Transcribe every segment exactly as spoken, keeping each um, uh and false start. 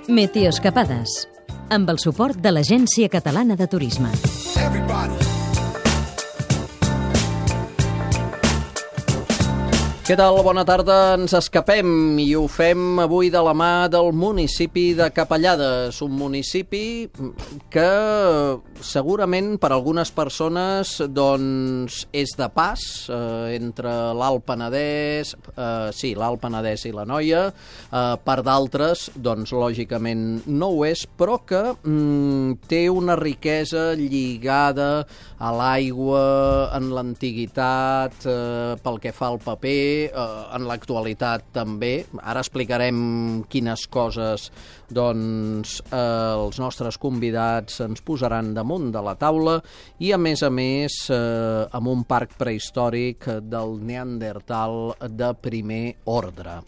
Meteoescapades, amb el suport de l'Agència Catalana de Turisme. Què tal? Bona tarda. Ens escapem i ho fem avui de la mà del municipi de Capellades, un municipi que segurament per algunes persones doncs, és de pas eh, entre l'Alt Penedès, eh, sí, l'Alt Penedès i l'Anoia, eh, per d'altres, doncs, lògicament no ho és, però que mm, té una riquesa lligada a l'aigua, en l'antiguitat, eh, pel que fa al paper, en l'actualitat també. Ara explicarem quines coses doncs, eh, els nostres convidats ens posaran damunt de la taula i, a més a més, eh, amb un parc prehistòric del Neandertal de primer ordre.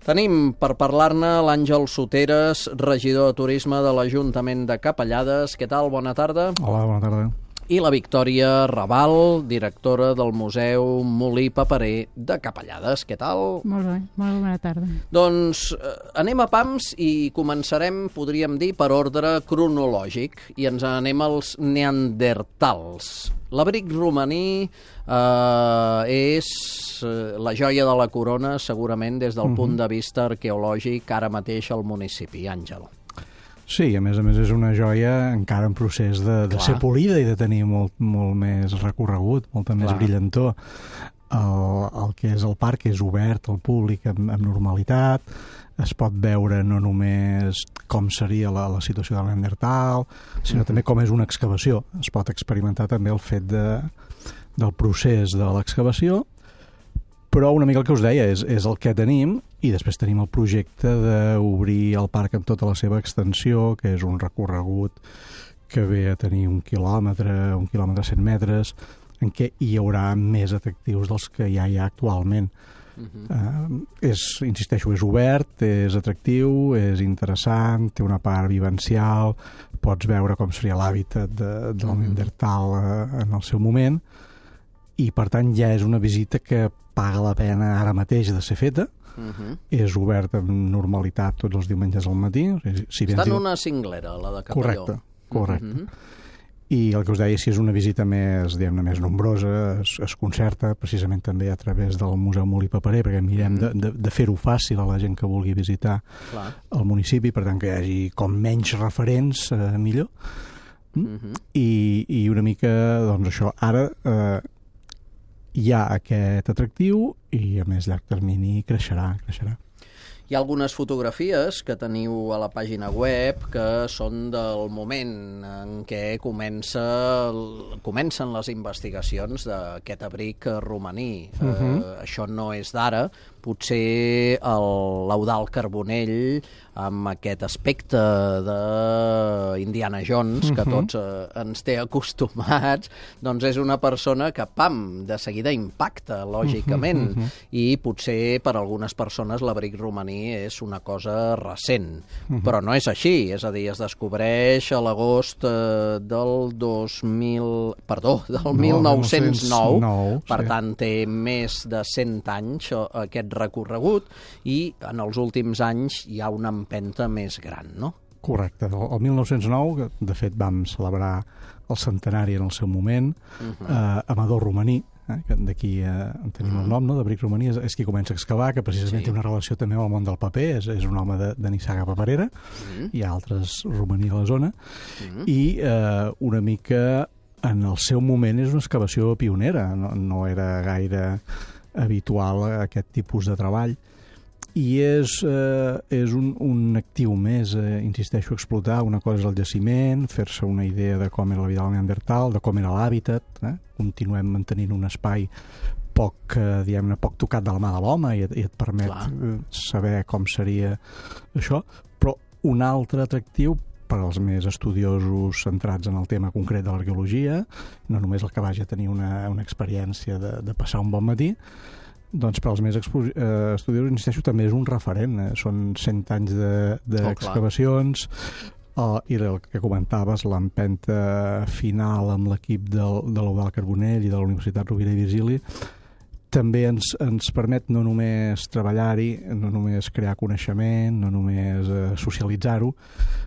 Tenim per parlar-ne l'Àngel Soteres, regidor de Turisme de l'Ajuntament de Capellades. Què tal? Bona tarda. Hola, bona tarda. I la Victòria Raval, directora del Museu Molí Paperer de Capellades. Què tal? Molt bé, molt bona tarda. Doncs eh, anem a pams i començarem, podríem dir, per ordre cronològic, i ens anem als neandertals. L'abric romaní eh, és eh, la joia de la corona, segurament, des del uh-huh. punt de vista arqueològic, ara mateix al municipi. Àngel. Sí, a més a més és una joia encara en procés de, de ser polida i de tenir molt, molt més recorregut, molta més Clar. brillantor. El, el que és el parc és obert al públic amb, amb normalitat, es pot veure no només com seria la, la situació de Neandertal, sinó uh-huh. també com és una excavació. Es pot experimentar també el fet de, del procés de l'excavació, però una mica el que us deia és, és el que tenim, i després tenim el projecte d'obrir el parc amb tota la seva extensió, que és un recorregut que ve a tenir un quilòmetre, un quilòmetre cent metres, en què hi haurà més atractius dels que ja hi ha actualment. Uh-huh. Uh, és, insisteixo, és obert, és atractiu, és interessant, té una part vivencial, pots veure com seria l'hàbitat de, del uh-huh. Neandertal uh, en el seu moment, i per tant ja és una visita que paga la pena ara mateix de ser feta. Uh-huh. És obert amb normalitat tots els diumenges al matí. O sigui, si Està en una cinglera, la de Capelló. Correcte, correcte. Uh-huh. I el que us deia, si és una visita més, diguem-ne, més nombrosa, es, es concerta precisament també a través del Museu Molí Paperer, perquè mirem uh-huh. de, de, de fer-ho fàcil a la gent que vulgui visitar Clar. el municipi, per tant que hi hagi com menys referents, eh, millor. Mm? Uh-huh. I, I una mica, doncs això, ara eh, hi ha aquest atractiu i a més llarg termini creixerà, creixerà. Hi ha algunes fotografies que teniu a la pàgina web que són del moment en què comença, comencen les investigacions d'aquest abric romaní. Uh-huh. eh, això no és d'ara, potser l'Eudald Carbonell, amb aquest aspecte d'Indiana Jones, uh-huh. que tots eh, ens té acostumats, doncs és una persona que, pam, de seguida impacta, lògicament, uh-huh. i potser per algunes persones l'abric romaní és una cosa recent, uh-huh. però no és així, és a dir, es descobreix a l'agost eh, del dos mil... Perdó, del no, mil nou-cents nou, per sí. tant té més de cent anys aquest recorregut, i en els últims anys hi ha una empenta més gran, no? Correcte. El mil nou-cents nou, que de fet vam celebrar el centenari en el seu moment, uh-huh. eh, Amador Romaní, eh, que d'aquí eh, en tenim uh-huh. el nom, no? D'abric romaní, és, és qui comença a excavar, que precisament sí. té una relació també amb el món del paper, és, és un home de, de Nissaga Paperera, uh-huh. hi ha altres romaní a la zona, uh-huh. i eh, una mica en el seu moment és una excavació pionera, no, no era gaire habitual aquest tipus de treball, i és, eh, és un, un actiu més, eh, insisteixo, explotar. Una cosa és el jaciment, fer-se una idea de com era la vida del Neandertal, de com era l'hàbitat, eh? Continuem mantenint un espai poc, eh, diguem-ne, poc tocat de la mà de l'home i, i et permet Clar. saber com seria això, però un altre atractiu per als més estudiosos centrats en el tema concret de l'arqueologia, no només el que vagi a tenir una, una experiència de, de passar un bon matí, doncs per als més expo- eh, estudiosos, insisteixo, també és un referent. Eh? Són cent anys d'excavacions, de, oh, i el que comentaves, l'empenta final amb l'equip del, de l'Eudald Carbonell i de la Universitat Rovira i Virgili, també ens, ens permet no només treballar-hi, no només crear coneixement, no només eh, socialitzar-ho,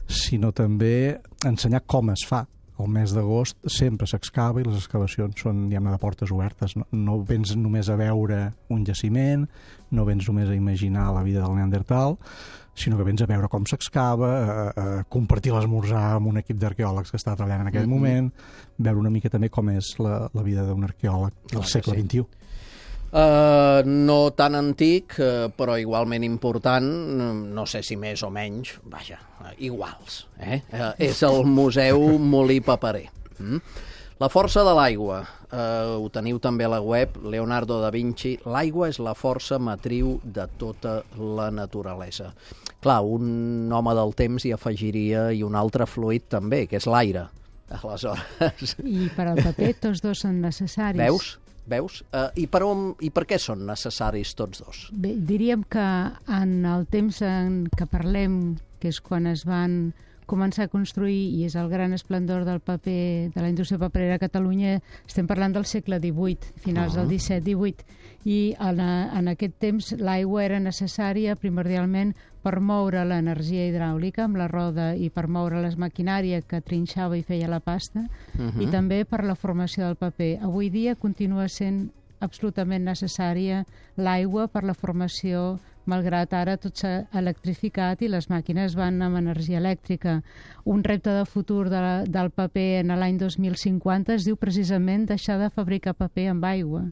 sinó també ensenyar com es fa. El mes d'agost sempre s'excava i les excavacions són, diguem-ne, de portes obertes. No, no vens només a veure un jaciment, no vens només a imaginar la vida del Neandertal, sinó que vens a veure com s'excava, a, a compartir l'esmorzar amb un equip d'arqueòlegs que està treballant en aquell mm-hmm. moment, veure una mica també com és la, la vida d'un arqueòleg del ah, segle vint-i-u. Uh, no tan antic, uh, però igualment important, no sé si més o menys, vaja, uh, iguals. Eh? Uh, és el Museu Molí Paperer. Mm? La força de l'aigua, uh, ho teniu també a la web, Leonardo da Vinci, l'aigua és la força matriu de tota la naturalesa. Clar, un home del temps hi afegiria i un altre fluid també, que és l'aire. Aleshores... I per al paper tots dos són necessaris. Veus? Veus? Uh, i, per on, I per què són necessaris tots dos? Bé, diríem que en el temps en què parlem, que és quan es van començar a construir i és el gran esplendor del paper, de la indústria paperera a Catalunya, estem parlant del segle divuit, finals uh-huh. del disset divuit, i en, en aquest temps l'aigua era necessària primordialment per moure l'energia hidràulica amb la roda i per moure les maquinària que trinxava i feia la pasta, uh-huh. i també per la formació del paper. Avui dia continua sent absolutament necessària l'aigua per la formació, malgrat ara tot s'ha electrificat i les màquines van amb energia elèctrica. Un repte de futur de la, del paper en l'any dos mil cinquanta es diu precisament deixar de fabricar paper amb aigua.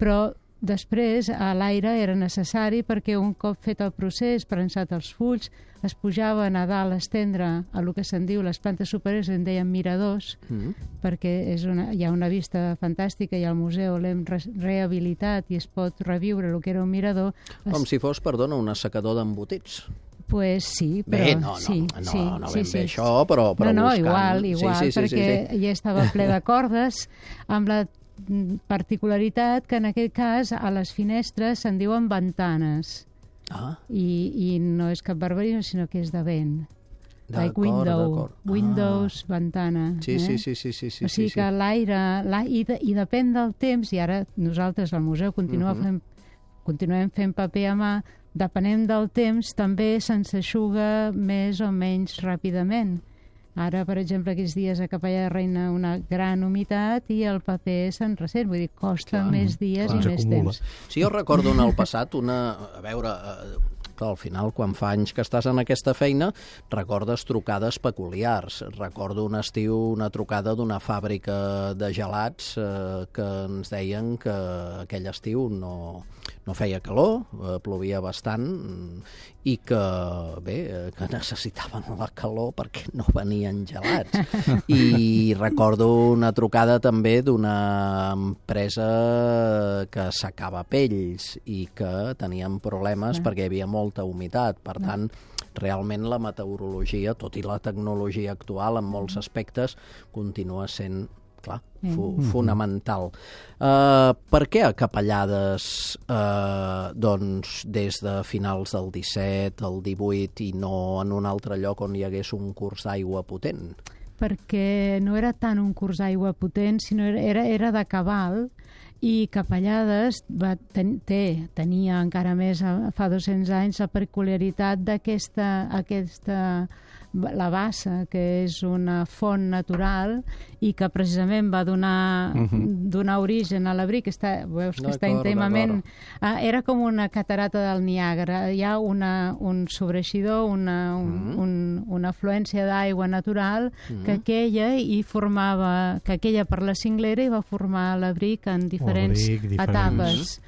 Però després, a l'aire era necessari perquè un cop fet el procés, prensat els fulls, es pujaven a dalt a estendre a el que se'n diu les plantes superiors, en deien miradors, mm. perquè és una, hi ha una vista fantàstica i al museu l'hem re rehabilitat i es pot reviure el que era un mirador. Com es... si fos, perdona, un assecador d'embotits. Pues sí, però... Bé, no, no, sí, no, sí, no sí, ben sí. bé això, però, però no, no, buscant... igual, igual, sí, sí, sí, perquè sí, sí. ja estava ple de cordes, amb la particularitat que en aquest cas a les finestres se'n diuen ventanes. Ah. I, I no és cap barbarisme, sinó que és de vent. Like window, windows, ah. ventana. Sí, eh? sí, sí, sí, sí, sí. O sigui sí, que l'aire... I, de, I depèn del temps, i ara nosaltres al museu continuem, uh -huh. fent, continuem fent paper a mà, depenent del temps també se'ns eixuga més o menys ràpidament. Ara, per exemple, aquests dies a Capellà reina una gran humitat i el paper se'n ressent, vull dir, costa clar, més dies clar. i més temps. Sí, jo recordo en el passat una... A veure, clar, al final, quan fa anys que estàs en aquesta feina, recordes trucades peculiars. Recordo un estiu, una trucada d'una fàbrica de gelats eh, que ens deien que aquell estiu no, no feia calor, eh, plovia bastant i que, bé, que necessitaven la calor perquè no venien gelats. I recordo una trucada també d'una empresa que s'acaba pells i que tenien problemes perquè hi havia molta humitat. Per tant, realment la meteorologia, tot i la tecnologia actual en molts aspectes, continua sent, clar, fu fonamental. Uh, per què a Capellades, uh, doncs, des de finals del disset, el divuit, i no en un altre lloc on hi hagués un curs d'aigua potent? Perquè no era tant un curs d'aigua potent, sinó era, era de cabal, i Capellades va, ten, té, tenia encara més fa dos-cents anys la peculiaritat d'aquesta aquesta, la bassa, que és una font natural i que precisament va donar, uh-huh. donar origen a l'abric, està, veus que està íntimament... Uh, era com una catarata del Niàgara, hi ha una, un sobreeixidor, una, un, uh-huh. un, una afluència d'aigua natural uh-huh. que aquella i formava, que aquella per la cinglera i va formar l'abric en diferents abric, etapes.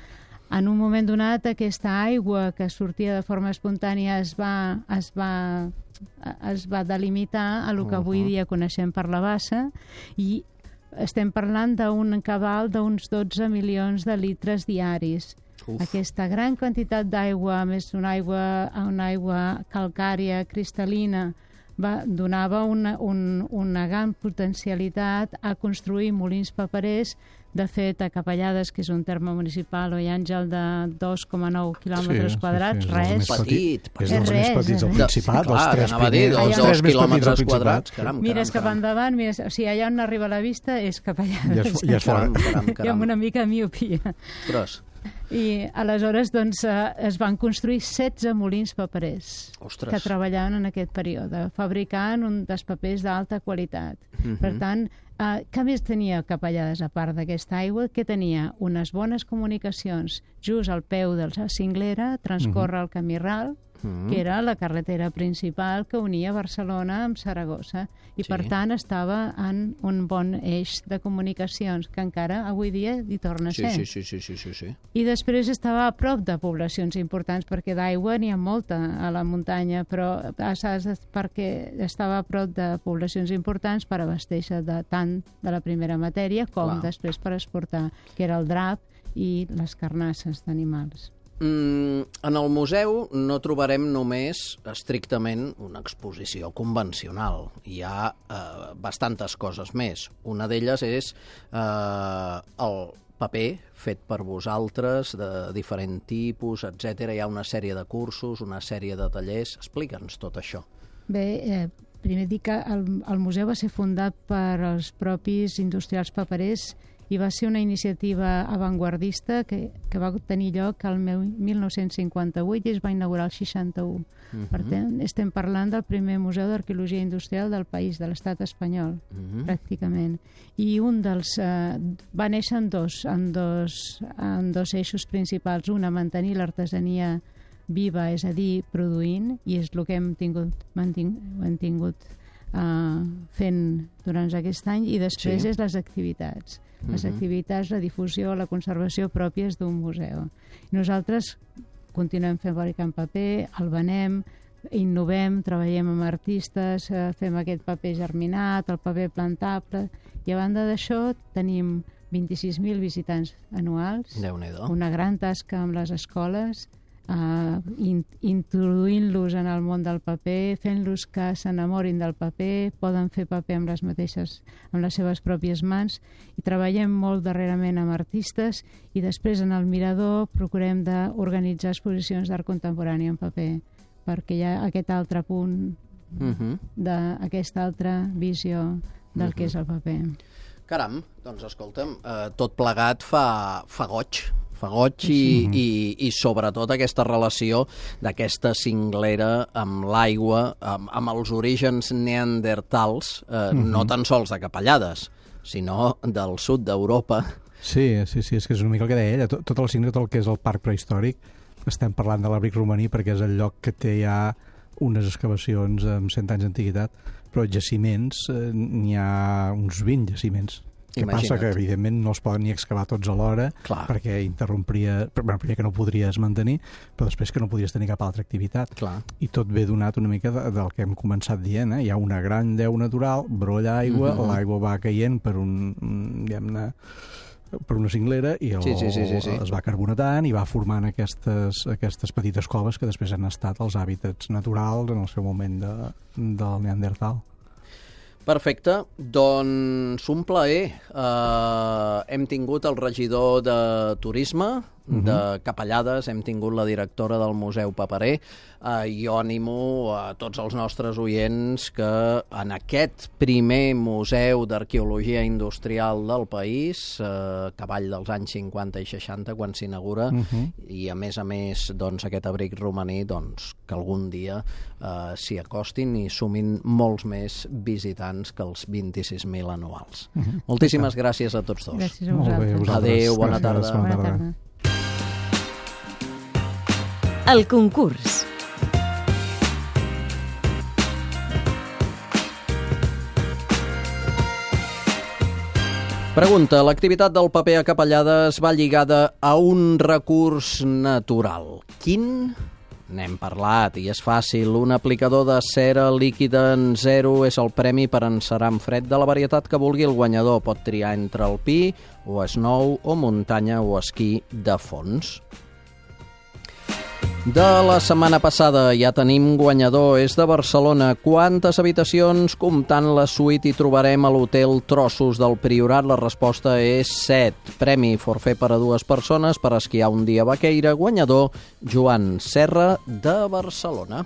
En un moment donat, aquesta aigua que sortia de forma espontània es va, es va, es va delimitar a el que avui dia coneixem per la bassa i estem parlant d'un cabal d'uns dotze milions de litres diaris. Uf. Aquesta gran quantitat d'aigua, més una aigua, una aigua calcària, cristal·lina, va, donava una, un, una gran potencialitat a construir molins paperers. De fet, a Capellades, que és un terme municipal, o Àngel, de dos coma nou quilòmetres Sí, quadrats, sí, sí, res. és Petit, És dels res, més petits del res. Principat, dels Clar, tres anava a dir, primers. dos, els dos tres més petits del quilòmetres Principat. quadrats, caram, Mires caram, cap endavant, mires, o sigui, allà on arriba la vista és Capellades. Ja és, ja és fora. caram, caram, I amb caram. una mica de miopia. Ostres, I aleshores doncs, eh, es van construir setze molins paperers Ostres. que treballaven en aquest període, fabricant un dels papers d'alta qualitat. Mhm. Per tant, eh, què més tenia Capellades a part d'aquesta aigua? Que tenia unes bones comunicacions just al peu de la cinglera, transcorre el camí ral, Mhm. que era la carretera principal que unia Barcelona amb Saragossa, i Sí. per tant estava en un bon eix de comunicacions que encara avui dia hi torna a Sí, ser. sí, sí, sí, sí, sí, sí. I després estava a prop de poblacions importants, perquè d'aigua n'hi ha molta a la muntanya, però saps, perquè estava a prop de poblacions importants per abastèixer de, tant de la primera matèria com Clar. després per exportar, que era el drap i les carnasses d'animals. Mm, en el museu no trobarem només estrictament una exposició convencional. Hi ha eh, bastantes coses més. Una d'elles és eh, el paper fet per vosaltres, de diferent tipus, etcètera. Hi ha una sèrie de cursos, una sèrie de tallers. Explica'ns tot això. Bé, eh, primer dir que el, el museu va ser fundat per els propis industrials paperers i va ser una iniciativa avantguardista que, que va tenir lloc al mil nou-cents cinquanta-vuit i es va inaugurar el seixanta-u. Uh-huh. Per tant, estem parlant del primer museu d'arqueologia industrial del país, de l'estat espanyol, uh-huh. pràcticament. I un dels... Eh, va néixer en dos, en, dos, en dos eixos principals. Un, a mantenir l'artesania viva, és a dir, produint, i és el que hem tingut, manting, hem tingut uh, fent durant aquest any, i després Sí. és les activitats. Les Mhm. activitats, la difusió, la conservació pròpies d'un museu. Nosaltres continuem fent fabricant paper, el venem, innovem, treballem amb artistes, eh, fem aquest paper germinat, el paper plantable, i a banda d'això tenim vint-i-sis mil visitants anuals, Déu-n'hi-do. una gran tasca amb les escoles, Uh, in, introduint-los en el món del paper, fent-los que s'enamorin del paper, poden fer paper amb les mateixes, amb les seves pròpies mans, i treballem molt darrerament amb artistes, i després en el Mirador procurem d'organitzar exposicions d'art contemporani en paper, perquè hi ha aquest altre punt, Mhm. d'aquesta altra visió del Mhm. que és el paper. Caram, doncs escolta'm, eh, tot plegat fa, fa goig, fa goig i, i, i sobretot aquesta relació d'aquesta cinglera amb l'aigua, amb, amb els orígens neandertals, eh, Mhm. no tan sols de Capellades, sinó del sud d'Europa. Sí, sí, sí, és que és una mica el que deia ella. Tot, tot el signe, tot el que és el parc prehistòric, estem parlant de l'Abric romaní perquè és el lloc que té ja unes excavacions amb cent anys d'antiguitat, però jaciments, eh, n'hi ha uns vint jaciments. Què Imagina't. passa? Que, evidentment, no els poden ni excavar tots alhora, Clar. perquè interrompria... Bueno, primer que no podries mantenir, però després que no podries tenir cap altra activitat. Clar. I tot ve donat una mica de, del que hem començat dient. Eh? Hi ha una gran deu natural, brolla aigua, Mhm. l'aigua va caient per un, un, diguem-ne, per una cinglera i el, Sí, sí, sí, sí, sí. es va carbonatant i va formant aquestes, aquestes petites coves que després han estat els hàbitats naturals en el seu moment de, del Neandertal. Perfecte, doncs un plaer. Uh, hem tingut el regidor de Turisme de Capellades, hem tingut la directora del Museu Paperer. Uh, jo animo a tots els nostres oients que en aquest primer museu d'arqueologia industrial del país, uh, cavall dels anys cinquanta i seixanta, quan s'inaugura, Mhm. i a més a més doncs, aquest abric romaní, doncs, que algun dia uh, s'hi acostin i sumin molts més visitants que els vint-i-sis mil anuals. Mhm. Moltíssimes gràcies a tots dos. Gràcies a Molt bé, vosaltres. a vosaltres. Adéu, bona Gràcies, tarda. bona Bona tarda. tarda. El concurs. Pregunta, l'activitat del paper a Capellades va lligada a un recurs natural. Quin? N'hem parlat i és fàcil. Un aplicador de cera líquida en zero és el premi per encerar en fred de la varietat que vulgui el guanyador. Pot triar entre alpí, o snow, o muntanya, o esquí de fons. De la setmana passada ja tenim guanyador, és de Barcelona. Quantes habitacions, comptant la suite, hi trobarem a l'hotel Trossos del Priorat? La resposta és set. Premi forfait per a dues persones per esquiar un dia a Baqueira. Guanyador, Joan Serra, de Barcelona.